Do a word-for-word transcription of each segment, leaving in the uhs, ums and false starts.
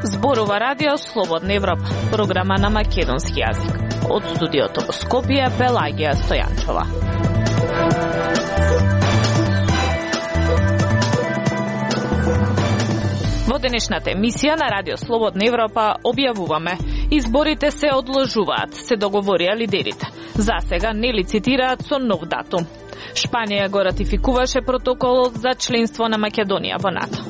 Зборува радио Слободна Европа, програма на македонски јазик. Од студиото во Скопје, Пелагија Стојанчова. Во денешната емисија на радио Слободна Европа објавуваме: изборите се одложуваат, се договорија лидерите. За сега не лицитираат со нов датум. Шпанија го ратификуваше протоколот за членство на Македонија во НАТО.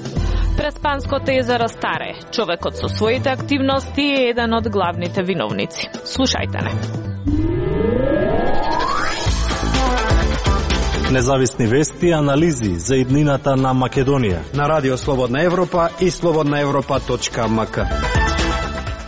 Преспанското езеро Старе, човекот со своите активности е еден од главните виновници. Слушајте не. Независни вести и анализи за иднината на Македонија на радио Слободна Европа и слободна европа точка ем ка.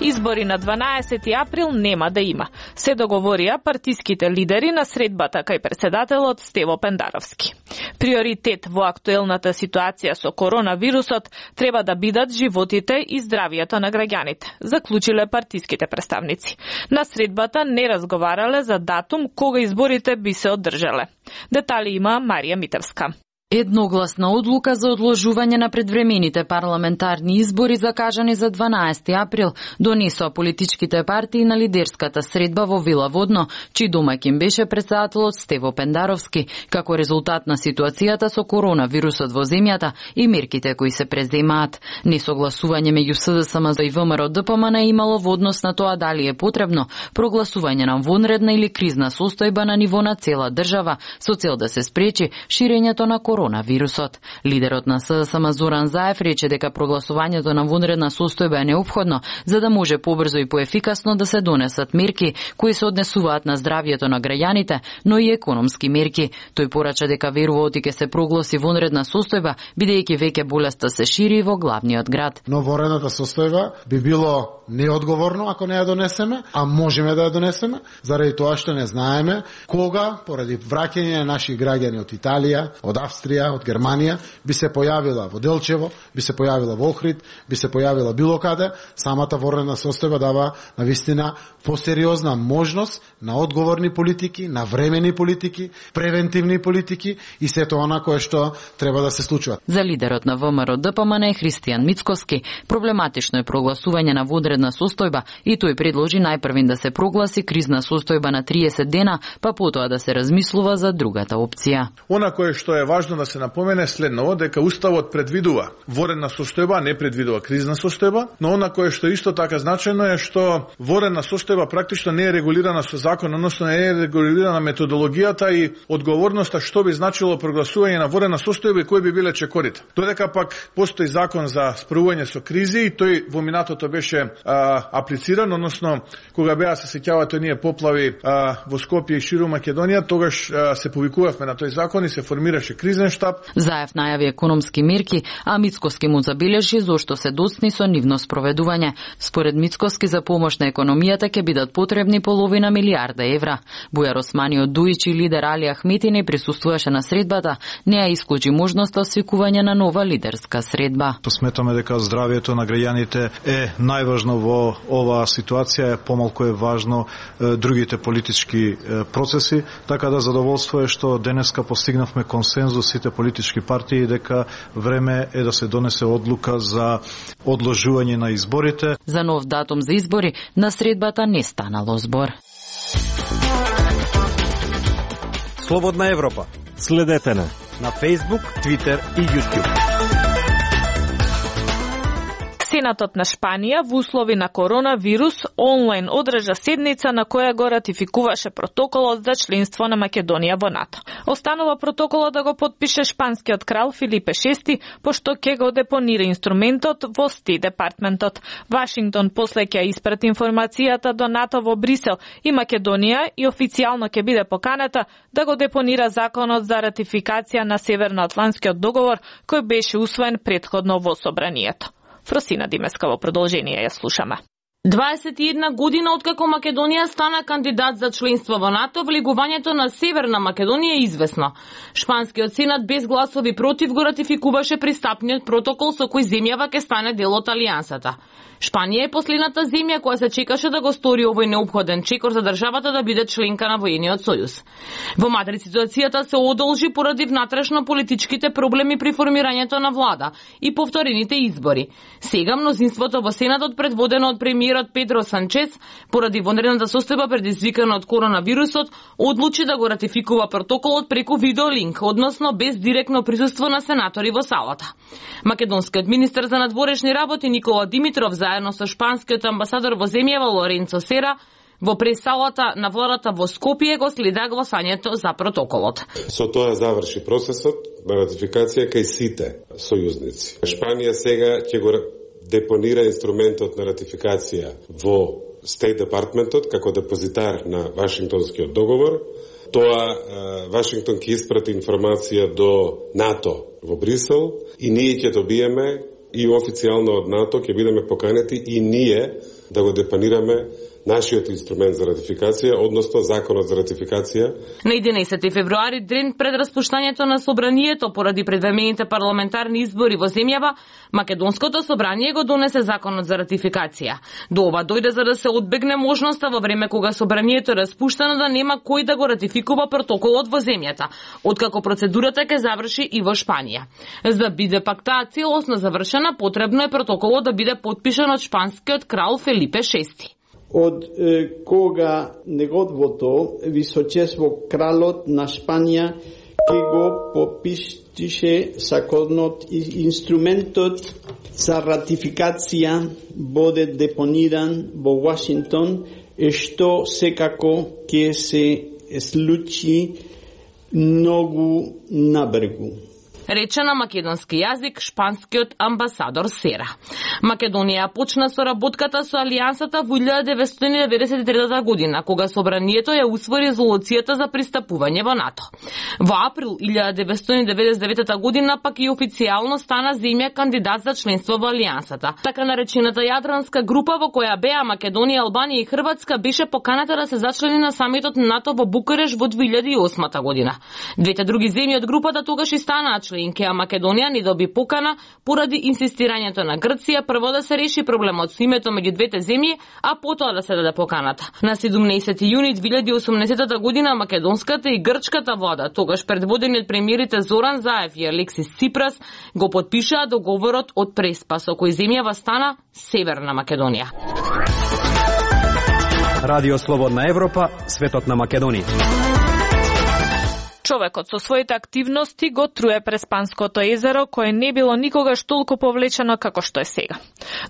Избори на дванаесети април нема да има. Се договорија партиските лидери на средбата кај председателот Стево Пендаровски. Приоритет во актуелната ситуација со коронавирусот треба да бидат животите и здравието на граѓаните, заклучиле партиските представници. На средбата не разговарале за датум кога изборите би се одржале. Детали има Марија Митевска. Едногласна одлука за одложување на предвремените парламентарни избори закажани за дванаесети април донесоа политичките партии на лидерската средба во Вила Водно, чиј домаќин беше председателот Стево Пендаровски, како резултат на ситуацијата со коронавирусот во земјата и мерките кои се преземаат. Несогласување меѓу СДСМ и ВМРО Д П М Н имало во однос на тоа дали е потребно прогласување на вонредна или кризна состојба на ниво на цела држава со цел да се спречи ширењето на коронавирусот. Лидерот на СДСМ Зоран Заев рече дека прогласувањето на вонредна состојба е неопходно за да може побрзо и поефикасно да се донесат мерки кои се однесуваат на здравието на граѓаните, но и економски мерки. Тој порача дека верува оти ќе се прогласи вонредна состојба, бидејќи веќе болеста се шири во главниот град. Но вонредната состојба би било неодговорно ако не ја донесеме, а можеме да ја донесеме, заради тоа што не знаеме кога, поради враќање на наши граѓани од Италија, од Австрија, од Германија, би се појавила во Делчево, би се појавила во Охрид, би се појавила било каде. Самата вонредна состојба дава навистина посериозна можност на одговорни политики, на времени политики, превентивни политики и сето она кое што треба да се случува. За лидерот на ВМРО Д П М Н Христијан Мицкоски, проблематично е прогласување на вонредна состојба и тој предложи најпрвин да се прогласи кризна состојба на триесет дена, па потоа да се размислува за другата опција. Она кое што е важно да се напомене следново, дека Уставот предвидува вонредна состојба, не предвидува кризна состојба, но она кое што исто така значајно е што вонредна состојба практично не е регулирана со закон, односно не е регулирана методологијата и одговорноста што би значило прогласување на вонредна состојба и кои би биле чекорите. Додека пак постои закон за справување со кризи и тој во минатото беше а, аплициран, односно кога беа се сеќавате оние поплави а, во Скопје и ширум Македонија, тогаш а, се повикувавме на тој закон и се формираше кризен штаб. Заев најави економски мерки, а Мицкоски му забележи зошто се доцни со нивно спроведување. Според Мицкоски за помош на економијата ќе бидат потребни половина милиарда евра. Бујар Османи од Дуичи, лидер Али Ахмети не присуствуваше на средбата, не ја исклучи можноста свикување на нова лидерска средба. Сметаме дека здравието на граѓаните е најважно во оваа ситуација, е помалку е важно е, другите политички е, процеси, така да задоволство е што денеска постигнавме консензус сите политички партии дека време е да се донесе одлука за одложување на изборите. За нов датум за избори на средбата не станало збор. Слободна Европа. Следете на на Facebook, Twitter и YouTube. Сенатот на Шпанија во услови на коронавирус онлайн одржа седница на која го ратификуваше протоколот за членство на Македонија во НАТО. Останува протоколот да го подпише шпанскиот крал Филипе шести, пошто ќе го депонира инструментот во Стейт департментот. Вашингтон после ќе испрати информацијата до НАТО во Брисел и Македонија и официјално ќе биде поканата да го депонира законот за ратификација на Северноатлантскиот договор кој беше усвоен претходно во собранието. Фросина Димеска во продолжение ја слушаме. дваесет и една година откако Македонија стана кандидат за членство во НАТО, влегувањето на Северна Македонија е известно. Шпанскиот сенат без гласови против го ратификуваше пристапниот протокол со кој земјава ќе стане дел од алијансата. Шпанија е последната земја која се чекаше да го стори овој неопходен чекор за државата да биде членка на воениот сојуз. Во Мадрид ситуацијата се одолжи поради внатрешно политичките проблеми при формирањето на влада и повторените избори. Сега мнозинството во Сенатот, предводено од премиерот Педро Санчес, поради вонредната состојба предизвикана од коронавирусот, одлучи да го ратификува протоколот преку видеолинк, односно без директно присуство на сенатори во салата. Македонскиот министер за надворешни работи Никола Димитров заедно со шпанскиот амбасадор во земјава Лоренцо Сера во пресалата на владата во Скопје го следа гласањето за протоколот. Со тоа заврши процесот на ратификација кај сите сојузници. Шпанија сега ќе го депонира инструментот на ратификација во State Departmentот како депозитар на Вашингтонскиот договор. Тоа Вашингтон ќе испрати информација до НАТО во Брисел и ние ќе добиеме и официјално од НАТО ќе бидеме поканети и ние да го депонираме нашиот инструмент за ратификација, односно законот за ратификација. На единаесети февруари, ден пред распуштањето на собранието поради предвремените парламентарни избори во земјава, Македонското собрание го донесе законот за ратификација. До ова дојде за да се одбегне можноста во време кога собранието е распуштено да нема кој да го ратификува протоколот во земјата, откако процедурата ќе заврши и во Шпанија. За да биде пак таа целосно завршена, потребно е протоколот да биде потпишан од шпанскиот крал Фелипе шести. Од е, кога неговото височество кралот на Шпанија ке го попиштише законот и инструментот за ратификација боде депониран во Вашингтон, е што секако ке се случи многу набрзо. Рече на македонски јазик шпанскиот амбасадор Сера. Македонија почна со работката со алијансата во илјада деветстотини деветдесет и трета година, кога собранието ја усвои резолуцијата за пристапување во НАТО. Во април илјада деветстотини деветдесет и девета година пак и официјално стана земја кандидат за членство во алијансата. Така наречената јадранска група во која беа Македонија, Албанија и Хрватска беше поканата да се зачлени на самитот НАТО во Букуреш во две илјади и осма година. Двете други земји од групата тогаш и станаа членки, а Македонија не доби покана поради инсистирањето на Грција прво да се реши проблемот со името меѓу двете земји, а потоа да се даде поканата. На седумнаесети јуни две илјади и осумнаесета година македонската и грчката влада, тогаш предводени од премиерите Зоран Заев и Алексис Ципрас, го потпишаа договорот од Преспа, со кој земјава стана Северна Македонија. Радио Слободна Европа, светот на Македонија. Човекот со своите активности го труе Преспанското езеро, кое не било никогаш толку повлечено како што е сега.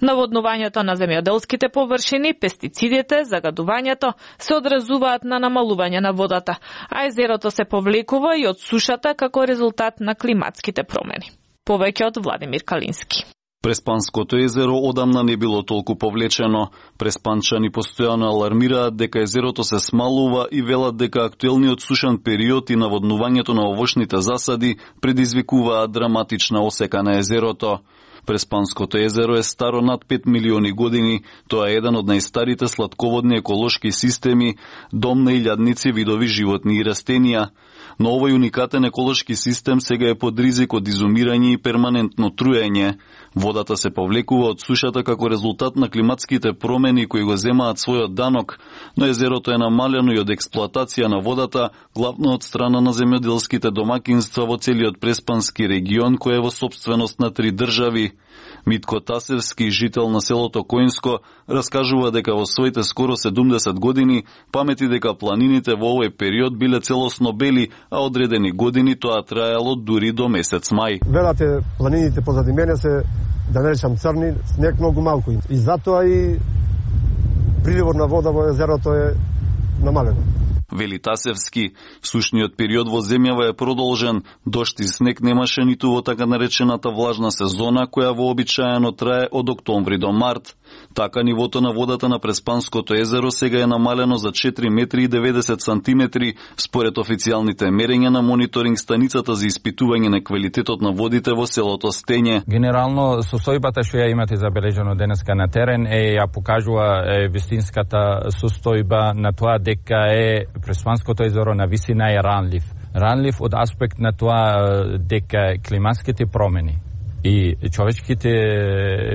Наводнувањето на земјоделските површини, пестицидите, загадувањето се одразуваат на намалување на водата, а езерото се повлекува и од сушата како резултат на климатските промени. Повеќе од Владимир Калински. Преспанското езеро одамна не било толку повлечено. Преспанчани постојано алармираат дека езерото се смалува и велат дека актуелниот сушен период и наводнувањето на овошните засади предизвикуваат драматична осека на езерото. Преспанското езеро е старо над пет милиони години, тоа е еден од најстарите сладководни еколошки системи, дом на илјадници видови животни и растенија. Но овој уникатен еколошки систем сега е под ризик од изумирање и перманентно труење. Водата се повлекува од сушата како резултат на климатските промени кои го земаат својот данок, но езерото е намалено и од експлоатација на водата, главно од страна на земјоделските домакинства во целиот Преспански регион, кој е во сопственост на три држави. Митко Тасевски, жител на селото Коинско, раскажува дека во своите скоро седумдесет години памети дека планините во овој период биле целосно бели, а одредени години тоа траело дури до месец мај. Велате планините позади мене се, да не речам црни, снег многу малку. И затоа и приливот на вода во езерото е намалено. Вели Тасевски, сушниот период во земјава е продолжен, дожд и снег немаше ниту во така наречената влажна сезона, која вообичаено трае од октомври до март. Така нивото на водата на Преспанското езеро сега е намалено за четири метри и деветдесет сантиметри, според официјалните мерења на мониторинг станицата за испитување на квалитетот на водите во селото Стење. Генерално состојбата што ја имате забележено денеска на терен е ја покажува е, вистинската состојба на тоа дека е Преспанското езеро на висина е ранлив. Ранлив од аспект на тоа дека климатските промени и човечките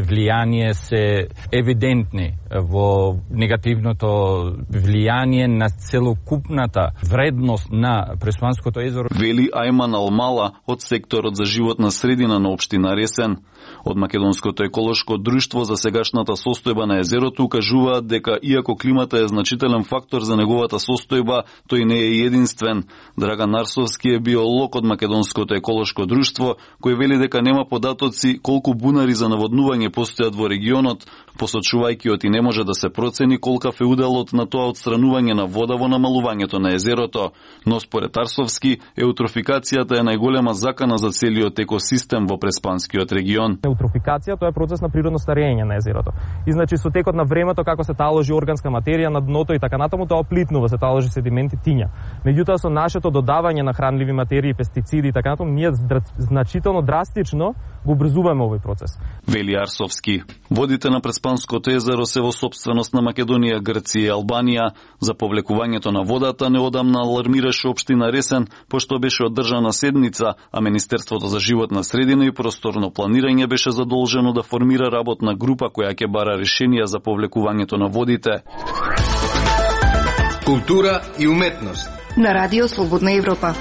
влијание се евидентни во негативното влијание на целокупната вредност на Преспанското езеро. Вели Ајман Алмала од секторот за животна средина на општина Ресен. Од Македонското еколошко друштво за сегашната состојба на езерото укажуваат дека иако климата е значителен фактор за неговата состојба, тој не е единствен. Драган Арсовски е биолог од Македонското еколошко друштво, кој вели дека нема податоци колку бунари за наводнување постојат во регионот, посочувајќи оти не може да се процени колкав е уделот на тоа отстранување на вода во намалувањето на езерото. Но според Арсовски, еутрофикацијата е најголема закана за целиот екосистем во Преспанскиот регион. Еутрофикација тоа е процес на природно старење на езерото. И значи со текот на времето како се таложи органска материја на дното и така натаму, тоа оплитнува, се таложи седименти, тиња. Меѓутоа со нашето додавање на хранливи материи, пестициди и така натаму, ние значително драстично го обрзуваме овој процес. Вели Арсовски. Водите на Преспанското езеро се во сопственост на Македонија, Грција и Албанија. За повлекувањето на водата неодамна алармираше општина Ресен, пошто беше одржана седница, а Министерството за животна средина и просторно планирање беше задолжено да формира работна група која ќе бара решенија за повлекувањето на водите. Култура и уметност на Радио Слободна Европа.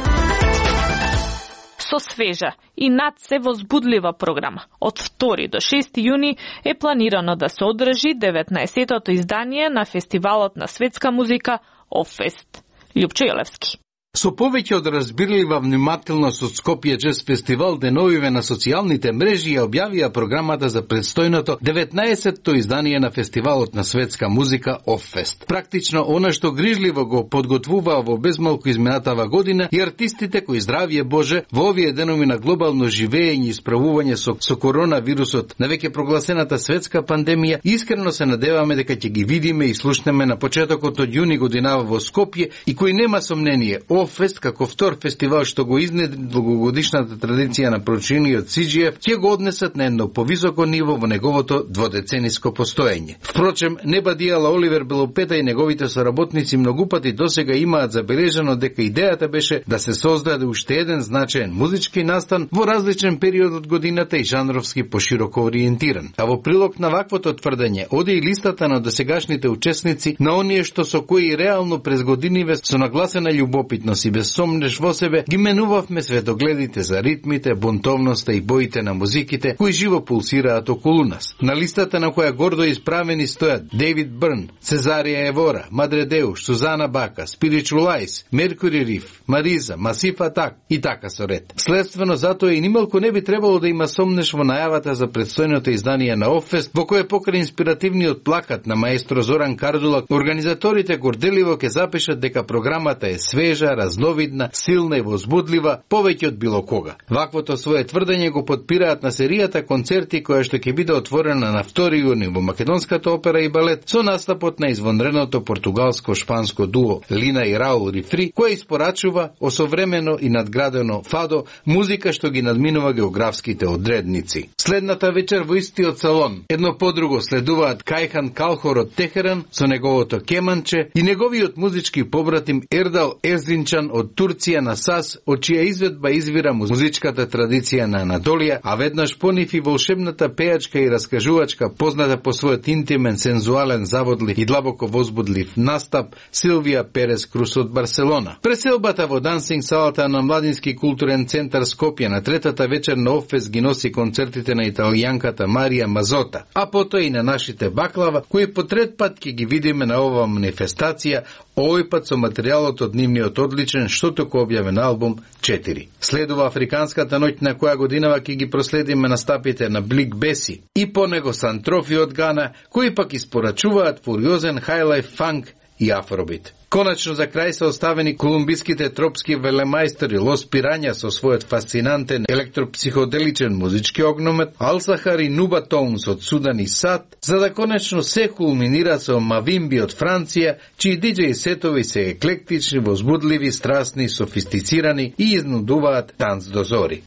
Со свежа и над се возбудлива програма. Од втори до шести јуни е планирано да се одржи деветнаесеттото издание на фестивалот на светска музика Оффест. Љупчо Јелевски. Со повеќе од разбирлива внимателност од Скопје Джез фестивал деновиве на социјалните мрежи ја објавија програмата за предстојното деветнаесеттото издание на фестивалот на светска музика Оффест. Практично она што грижливо го подготвуваа во безмалку изминатава година и артистите кои здравје Боже во овие денови на глобално живење и справување со, со коронавирусот на веќе прогласената светска пандемија, искрено се надеваме дека ќе ги видиме и слушнеме на почетокот од јуни годинава во Скопје и кој нема сомнение Оффест како втор фестивал што го изнедри долгогодишната традиција на прочиниот Си Џи Еф ќе го однесат на едно повисоко ниво во неговото дводецениско постоење. Впрочем, не бадијала Оливер Белопета и неговите соработници многу пати досега имаат забележано дека идејата беше да се создаде уште еден значаен музички настан во различен период од годината и жанровски пошироко ориентиран. А во прилог на ваквото тврдење оди и листата на досегашните учесници на оние што со кои реално през годиниве со нагласена љубопитност и без сомнеш во себе ги менувавме светогледите за ритмите, бунтовноста и боите на музиките кои живо пулсираат околу нас. На листата на која гордо исправени стојат Дейвид Бърн, Цезарија Евора, Мадре Деуш, Сузана Бака, Spiritual Eyes, Меркури Риф, Мариза, Масиф Атак и така со ред. Следствено затоа и нималку не би требало да има сомнеш во најавата за предстојното издание на Оффест, во кој покрај инспиративниот плакат на маестро Зоран Кардулак, организаторите горделиво ќе запишат дека програмата е свежа, разновидна, силна и возбудлива, повеќе од било кога. Ваквото свое тврдење го подпираат на серијата концерти која што ќе биде отворена на втори јуни во Македонската опера и балет со настапот на извонредното португалско-шпанско дуо Лина и Раул Рифри, која испорачува осовремено и надградено фадо, музика што ги надминува географските одредници. Следната вечер во истиот салон, едно по друго следуваат Кајхан Калхор од Техеран со неговото кеманче и неговиот музички побратим Ердал Ерзинчан од Турција на САС, од чија изведба извира музичката традиција на Анатолија, а веднаш понив и волшебната пејачка и раскажувачка позната по својот интимен, сензуален, заводлив и длабоко возбудлив настап Силвија Перес Крус од Барселона. Преселбата во дансинг салата на Младински културен центар Скопје на третата вечер на Оффест ги носи концертите на италијанката Марија Мазота, а потоа и на нашите баклава, кои по трет пат ќе ги видиме на оваа манифестација, овој пат со материјалот од нивниот одличен што току објавен албум четири. Следува Африканската ноќ на која годинава ќе ги проследиме настапите на Блик Беси и по него Сантрофи од Гана, кои пак испорачуваат фуриозен хайлайф фанк и афробит. Конечно за крај се оставени колумбиските тропски велемајстори Лос Пирања со својот фасцинантен електропсиходеличен музички огномет, Ал-Сахар и Нуба Тоунс од Судан и Сад, за да конечно се кулминира со Мавимби од Франција, чии диџеј сетови се еклектични, возбудливи, страстни, софистицирани и изнудуваат танц до зори.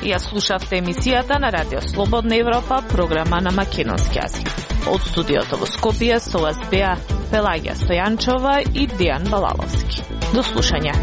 Ја слушавте емисијата на Радио Слободна Европа, програма на македонски јазик. Од студиото во Скопје со вас беа Пелагија Стојанчова и Дијан Балаловски. До слушање.